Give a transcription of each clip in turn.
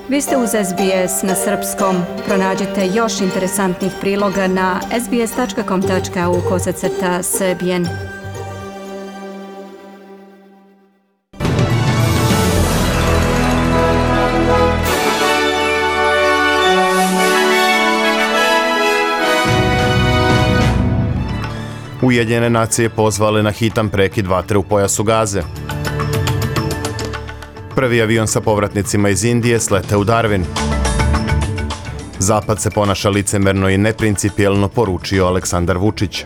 Vi ste uz SBS na srpskom. Pronađite još interesantnih priloga na sbs.com.au/srbijen. Ujedinjene nacije pozvale na hitan prekid vatre u pojasu Gaze. Prvi avion sa povratnicima iz Indije slete u Darwin. Zapad se ponaša licemerno i neprincipijelno, poručio Aleksandar Vučić.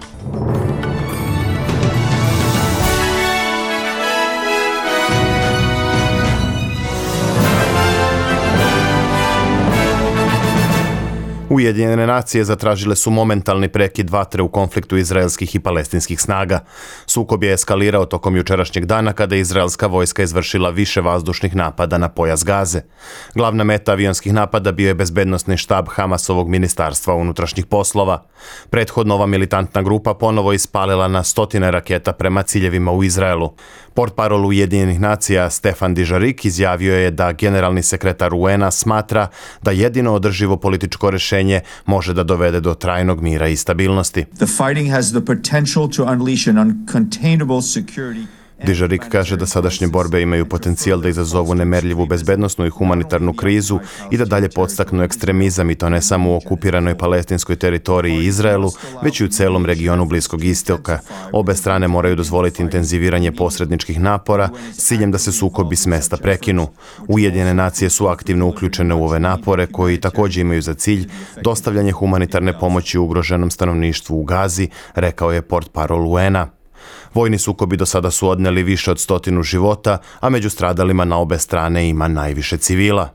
Ujedinjene nacije zatražile su momentalni prekid vatre u konfliktu izraelskih i palestinskih snaga. Sukob je eskalirao tokom jučerašnjeg dana kada je izraelska vojska izvršila više vazdušnih napada na pojas Gaze. Glavna meta avionskih napada bio je bezbednosni štab Hamasovog ministarstva unutrašnjih poslova. Prethodno ova militantna grupa ponovo ispalila na stotine raketa prema ciljevima u Izraelu. Portparol Ujedinjenih nacija Stefan Dujarric izjavio je da generalni sekretar UN-a smatra da jedino održivo političko rješenje može da dovede do trajnog mira i stabilnosti. The fighting has the potential to unleash an uncontainable security. Dujarric kaže da sadašnje borbe imaju potencijal da izazovu nemerljivu bezbednosnu i humanitarnu krizu i da dalje podstaknu ekstremizam, i to ne samo u okupiranoj palestinskoj teritoriji Izraelu, već i u celom regionu Bliskog istoka. Obe strane moraju dozvoliti intenziviranje posredničkih napora s ciljem da se sukobi s mesta prekinu. Ujedinjene nacije su aktivno uključene u ove napore koji također imaju za cilj dostavljanje humanitarne pomoći ugroženom stanovništvu u Gazi, rekao je portparol UN-a. Vojni sukobi do sada su odneli više od 100 života, a među stradalima na obe strane ima najviše civila.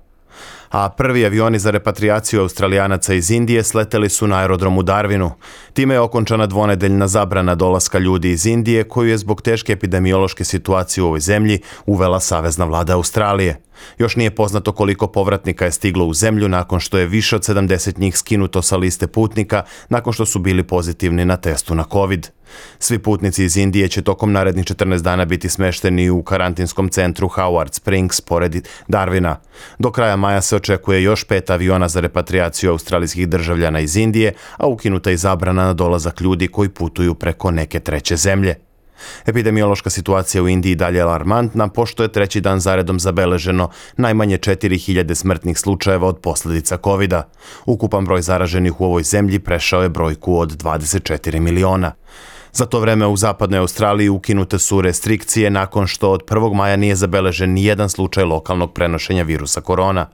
A prvi avioni za repatriaciju Australijanaca iz Indije sleteli su na aerodromu Darwinu. Time je okončana dvonedeljna zabrana dolaska ljudi iz Indije, koju je zbog teške epidemiološke situacije u ovoj zemlji uvela savezna vlada Australije. Još nije poznato koliko povratnika je stiglo u zemlju nakon što je više od 70 njih skinuto sa liste putnika nakon što su bili pozitivni na testu na COVID. Svi putnici iz Indije će tokom narednih 14 dana biti smešteni u karantinskom centru Howard Springs pored Darwina. Do kraja maja se očekuje još 5 aviona za repatriaciju australijskih državljana iz Indije, a ukinuta je zabrana na dolazak ljudi koji putuju preko neke treće zemlje. Epidemiološka situacija u Indiji dalje je alarmantna, pošto je treći dan zaredom zabeleženo najmanje 4000 smrtnih slučajeva od posljedica COVID-a. Ukupan broj zaraženih u ovoj zemlji prešao je brojku od 24 miliona. Za to vreme u zapadnoj Australiji ukinute su restrikcije nakon što od 1. maja nije zabeležen nijedan slučaj lokalnog prenošenja virusa korona.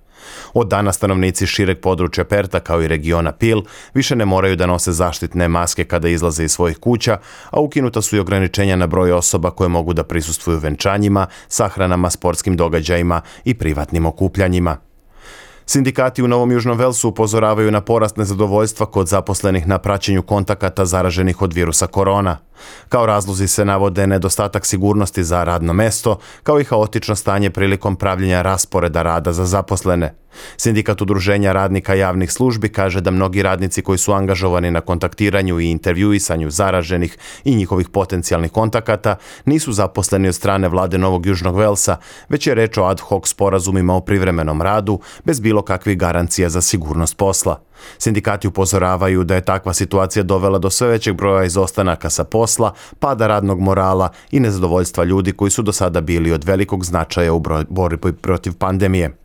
Od dana stanovnici šireg područja Perta kao i regiona Peel više ne moraju da nose zaštitne maske kada izlaze iz svojih kuća, a ukinuta su i ograničenja na broj osoba koje mogu da prisustvuju venčanjima, sahranama, sportskim događajima i privatnim okupljanjima. Sindikati u Novom Južnom Velsu upozoravaju na porast nezadovoljstva kod zaposlenih na praćenju kontakata zaraženih od virusa korona. Kao razlozi se navode nedostatak sigurnosti za radno mesto, kao i haotično stanje prilikom pravljenja rasporeda rada za zaposlene. Sindikat udruženja radnika javnih službi kaže da mnogi radnici koji su angažovani na kontaktiranju i intervjuisanju zaraženih i njihovih potencijalnih kontakata nisu zaposleni od strane vlade Novog Južnog Velsa, već je reč o ad hoc sporazumima o privremenom radu bez bilo kakvih garancija za sigurnost posla. Sindikati upozoravaju da je takva situacija dovela do sve većeg broja izostanaka sa posla, pada radnog morala i nezadovoljstva ljudi koji su do sada bili od velikog značaja u borbi protiv pandemije.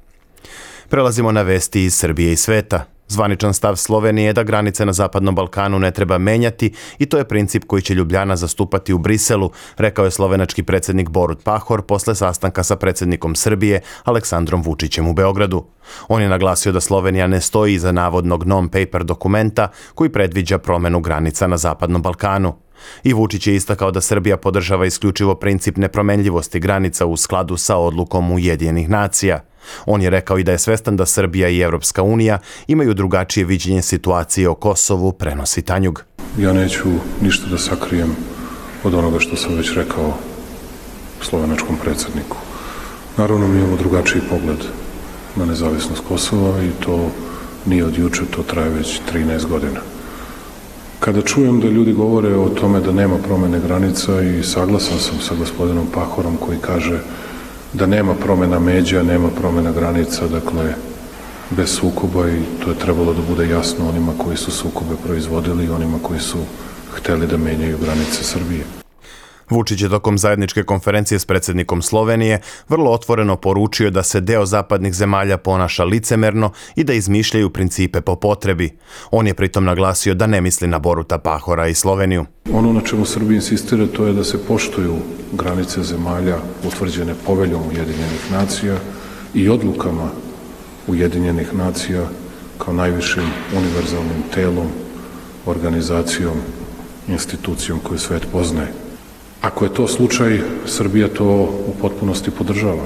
Prelazimo na vesti iz Srbije i sveta. Zvaničan stav Slovenije je da granice na Zapadnom Balkanu ne treba menjati i to je princip koji će Ljubljana zastupati u Briselu, rekao je slovenački predsjednik Borut Pahor posle sastanka sa predsjednikom Srbije Aleksandrom Vučićem u Beogradu. On je naglasio da Slovenija ne stoji iza navodnog non-paper dokumenta koji predviđa promjenu granica na Zapadnom Balkanu. I Vučić je istakao da Srbija podržava isključivo princip nepromenljivosti granica u skladu sa odlukom Ujedinjenih nacija. On je rekao i da je svestan da Srbija i Evropska unija imaju drugačije viđenje situacije o Kosovu, prenosi Tanjug. Ja neću ništa da sakrijem od onoga što sam već rekao slovenačkom predsjedniku. Naravno, mi imamo drugačiji pogled na nezavisnost Kosova i to nije od juče, to traje već 13 godina. Kada čujem da ljudi govore o tome da nema promjene granica i saglasan sam sa gospodinom Pahorom koji kaže da nema promjena međa, nema promjena granica, dakle bez sukoba i to je trebalo da bude jasno onima koji su sukobe proizvodili i onima koji su hteli da menjaju granice Srbije. Vučić je tokom zajedničke konferencije s predsjednikom Slovenije vrlo otvoreno poručio da se deo zapadnih zemalja ponaša licemerno i da izmišljaju principe po potrebi. On je pritom naglasio da ne misli na Boruta Pahora i Sloveniju. Ono na čemu Srbija insistira to je da se poštuju granice zemalja utvrđene poveljom Ujedinjenih nacija i odlukama Ujedinjenih nacija kao najvišim univerzalnim telom, organizacijom, institucijom koju svet poznaje. Ako je to slučaj, Srbija to u potpunosti podržava.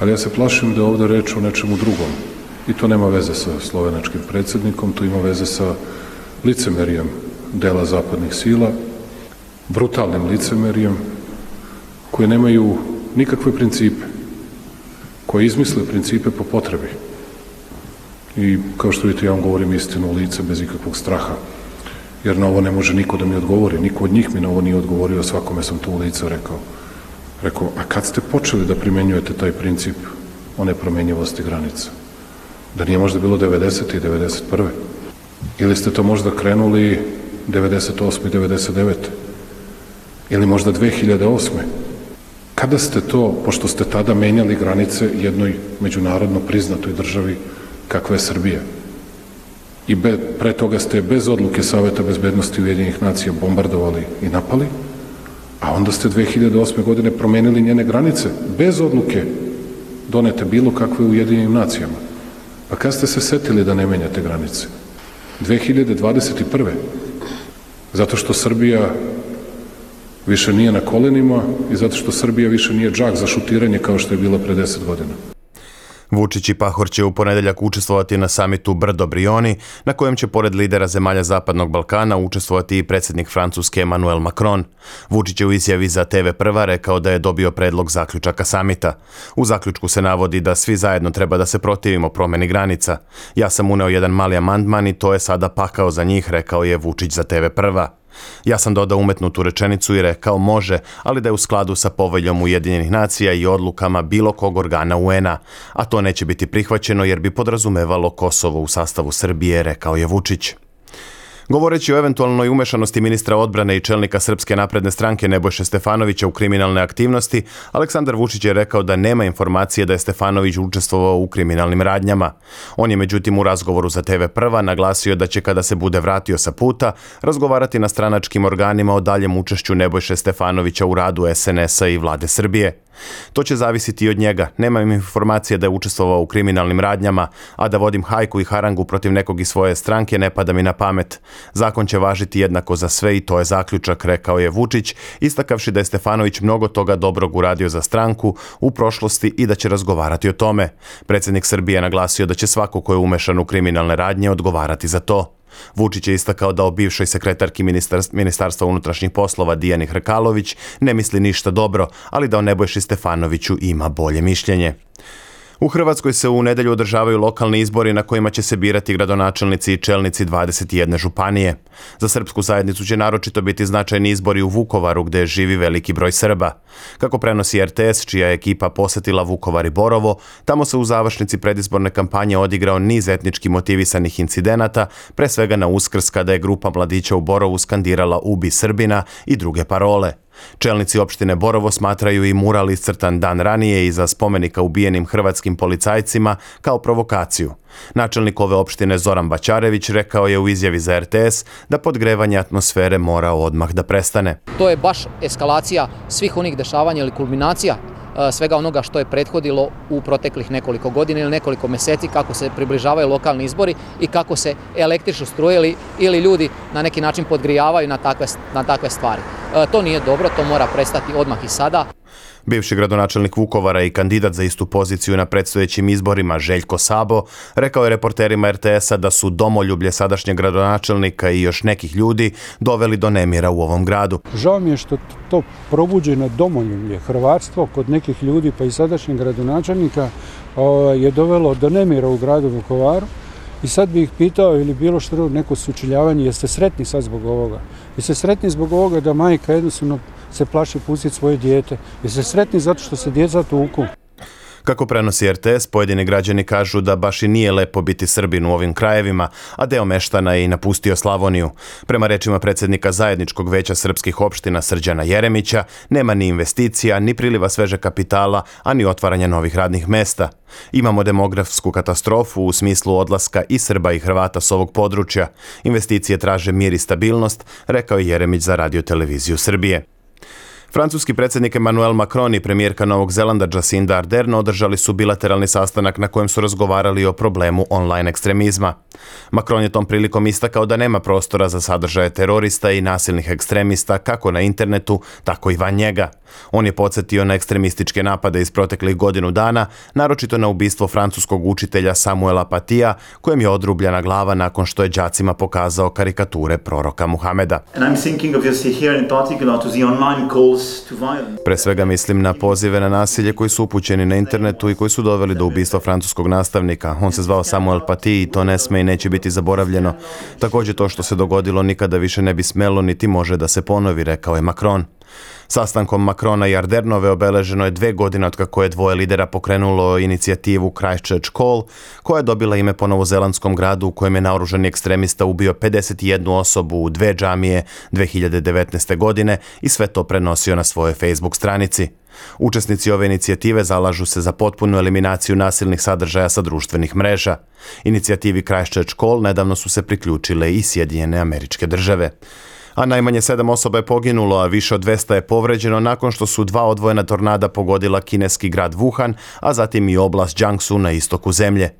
Ali ja se plašim da je ovdje reč o nečemu drugom. I to nema veze sa slovenačkim predsjednikom, to ima veze sa licemerijem dela zapadnih sila, brutalnim licemerijem, koji nemaju nikakve principe, koji izmisle principe po potrebi. I kao što vidite, ja vam govorim istinu u lice bez ikakvog straha. Jer na ovo ne može niko da mi odgovori. Niko od njih mi na ovo nije odgovorio, svakome sam to u lice rekao. Rekao, a kad ste počeli da primenjujete taj princip o nepromenjivosti granica? Da nije možda bilo 90. i 91. Ili ste to možda krenuli 98. i 99. Ili možda 2008. Kada ste to, pošto ste tada menjali granice jednoj međunarodno priznatoj državi kakva je Srbija, i pre toga ste bez odluke Saveta bezbednosti Ujedinjenih nacija bombardovali i napali, a onda ste 2008. godine promenili njene granice bez odluke donete bilo kakve u Ujedinjenim nacijama. Pa kad ste se setili da ne menjate granice? 2021. Zato što Srbija više nije na kolenima i zato što Srbija više nije džak za šutiranje kao što je bilo pre 10 godina. Vučić i Pahor će u ponedeljak učestvovati na samitu Brdo-Brioni, na kojem će pored lidera zemalja Zapadnog Balkana učestvovati i predsjednik Francuske Emmanuel Macron. Vučić je u izjavi za TV Prva rekao da je dobio predlog zaključaka samita. U zaključku se navodi da svi zajedno treba da se protivimo promjeni granica. Ja sam uneo jedan mali amandman i to je sada pakao za njih, rekao je Vučić za TV Prva. Ja sam dodao umetnutu rečenicu i rekao može, ali da je u skladu sa poveljom Ujedinjenih nacija i odlukama bilo kog organa UN-a, a to neće biti prihvaćeno jer bi podrazumevalo Kosovo u sastavu Srbije, rekao je Vučić. Govoreći o eventualnoj umešanosti ministra odbrane i čelnika Srpske napredne stranke Nebojše Stefanovića u kriminalne aktivnosti, Aleksandar Vučić je rekao da nema informacije da je Stefanović učestvovao u kriminalnim radnjama. On je međutim u razgovoru za TV Prva naglasio da će kada se bude vratio sa puta razgovarati na stranačkim organima o daljem učešću Nebojše Stefanovića u radu SNS-a i vlade Srbije. To će zavisiti i od njega. Nemam informacije da je učestvovao u kriminalnim radnjama, a da vodim hajku i harangu protiv nekog iz svoje stranke ne pada mi na pamet. Zakon će važiti jednako za sve i to je zaključak, rekao je Vučić, istakavši da je Stefanović mnogo toga dobrog uradio za stranku u prošlosti i da će razgovarati o tome. Predsjednik Srbije naglasio da će svako ko je umešan u kriminalne radnje odgovarati za to. Vučić je istakao da o bivšoj sekretarki Ministarstva unutrašnjih poslova Dijani Hrkalović ne misli ništa dobro, ali da o Nebojši Stefanoviću ima bolje mišljenje. U Hrvatskoj se u nedelju održavaju lokalni izbori na kojima će se birati gradonačelnici i čelnici 21 županije. Za srpsku zajednicu će naročito biti značajni izbori u Vukovaru gdje živi veliki broj Srba. Kako prenosi RTS, čija je ekipa posetila Vukovar i Borovo, tamo se u završnici predizborne kampanje odigrao niz etnički motivisanih incidenata, pre svega na Uskrs kada je grupa mladića u Borovu skandirala "Ubi Srbina" i druge parole. Čelnici opštine Borovo smatraju i mural iscrtan dan ranije iza spomenika ubijenim hrvatskim policajcima kao provokaciju. Načelnik ove opštine Zoran Baćarević rekao je u izjavi za RTS da podgrevanje atmosfere mora odmah da prestane. To je baš eskalacija svih onih dešavanja ili kulminacija svega onoga što je prethodilo u proteklih nekoliko godina ili nekoliko mjeseci kako se približavaju lokalni izbori i kako se električno struje ili ljudi na neki način podgrijavaju na takve stvari. To nije dobro, to mora prestati odmah i sada. Bivši gradonačelnik Vukovara i kandidat za istu poziciju na predstojećim izborima Željko Sabo rekao je reporterima RTS-a da su domoljublje sadašnjeg gradonačelnika i još nekih ljudi doveli do nemira u ovom gradu. Žao mi je što to probuđeno domoljublje, hrvatstvo kod nekih ljudi pa i sadašnjeg gradonačelnika je dovelo do nemira u gradu Vukovaru. I sad bih ih pitao ili bilo što neko sučeljavanje, jeste sretni sad zbog ovoga? Jeste sretni zbog ovoga da majka jednostavno se plaši pustiti svoje dijete? Jeste sretni zato što se djeca tuku? Kako prenosi RTS, pojedini građani kažu da baš i nije lepo biti Srbin u ovim krajevima, a deo meštana je i napustio Slavoniju. Prema rečima predsjednika Zajedničkog veća srpskih opština Srđana Jeremića, nema ni investicija, ni priliva sveže kapitala, a ni otvaranja novih radnih mesta. Imamo demografsku katastrofu u smislu odlaska i Srba i Hrvata s ovog područja. Investicije traže mir i stabilnost, rekao je Jeremić za Radio-televiziju Srbije. Francuski predsjednik Emmanuel Macron i premijerka Novog Zelanda Jacinda Ardern održali su bilateralni sastanak na kojem su razgovarali o problemu online ekstremizma. Macron je tom prilikom istakao da nema prostora za sadržaje terorista i nasilnih ekstremista kako na internetu, tako i van njega. On je podsjetio na ekstremističke napade iz proteklih godinu dana, naročito na ubistvo francuskog učitelja Samuela Patija, kojem je odrubljena glava nakon što je đacima pokazao karikature proroka Muhameda. Pre svega mislim na pozive na nasilje koji su upućeni na internetu i koji su doveli do ubistva francuskog nastavnika. On se zvao Samuel Paty i to ne sme i neće biti zaboravljeno. Također to što se dogodilo nikada više ne bi smelo niti može da se ponovi, rekao je Macron. Sastankom Macrona i Ardernove obeleženo je 2 godine od kako je dvoje lidera pokrenulo inicijativu Christchurch Call, koja je dobila ime po novozelandskom gradu u kojem je naoružani ekstremista ubio 51 osobu u 2 džamije 2019. godine i sve to prenosio na svojoj Facebook stranici. Učesnici ove inicijative zalažu se za potpunu eliminaciju nasilnih sadržaja sa društvenih mreža. Inicijativi Christchurch Call nedavno su se priključile i Sjedinjene Američke Države. A najmanje 7 osoba je poginulo, a više od 200 je povređeno nakon što su 2 odvojena tornada pogodila kineski grad Wuhan, a zatim i oblast Jiangsu na istoku zemlje.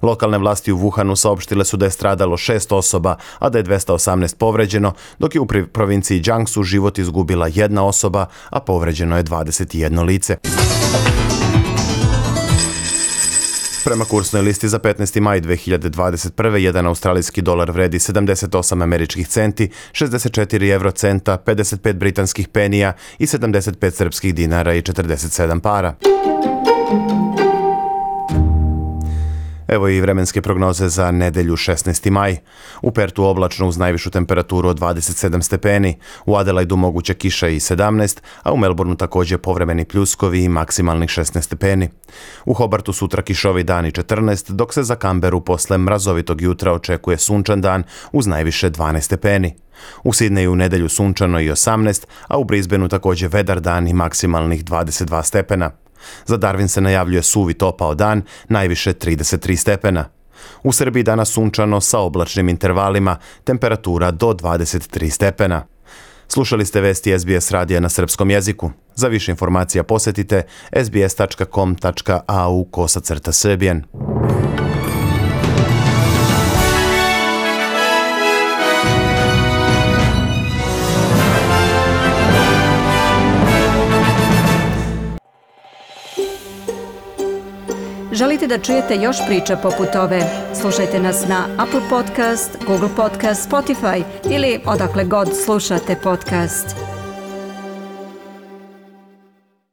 Lokalne vlasti u Wuhanu saopštile su da je stradalo 6 osoba, a da je 218 povređeno, dok je u provinciji Jiangsu život izgubila 1 osoba, a povređeno je 21 lice. Prema kursnoj listi za 15. maj 2021. jedan australijski dolar vredi 78 američkih centi, 64 eurocenta, 55 britanskih penija i 75 srpskih dinara i 47 para. Evo i vremenske prognoze za nedelju 16. maj. U Pertu oblačno uz najvišu temperaturu od 27 stepeni, u Adelaidu moguća kiša i 17, a u Melbourneu također povremeni pljuskovi i maksimalnih 16 stepeni. U Hobartu sutra kišovi dan i 14, dok se za Canberru posle mrazovitog jutra očekuje sunčan dan uz najviše 12 stepeni. U Sidneju u nedelju sunčano i 18, a u Brisbaneu također vedar dan i maksimalnih 22 stepena. Za Darwin se najavljuje suvi topao dan, najviše 33 stepena. U Srbiji danas sunčano sa oblačnim intervalima, temperatura do 23 stepena. Slušali ste vesti SBS radija na srpskom jeziku. Za više informacija posjetite sbs.com.au/srbijen. Želite da čujete još priča poput ove? Slušajte nas na Apple Podcast, Google Podcast, Spotify ili odakle god slušate podcast.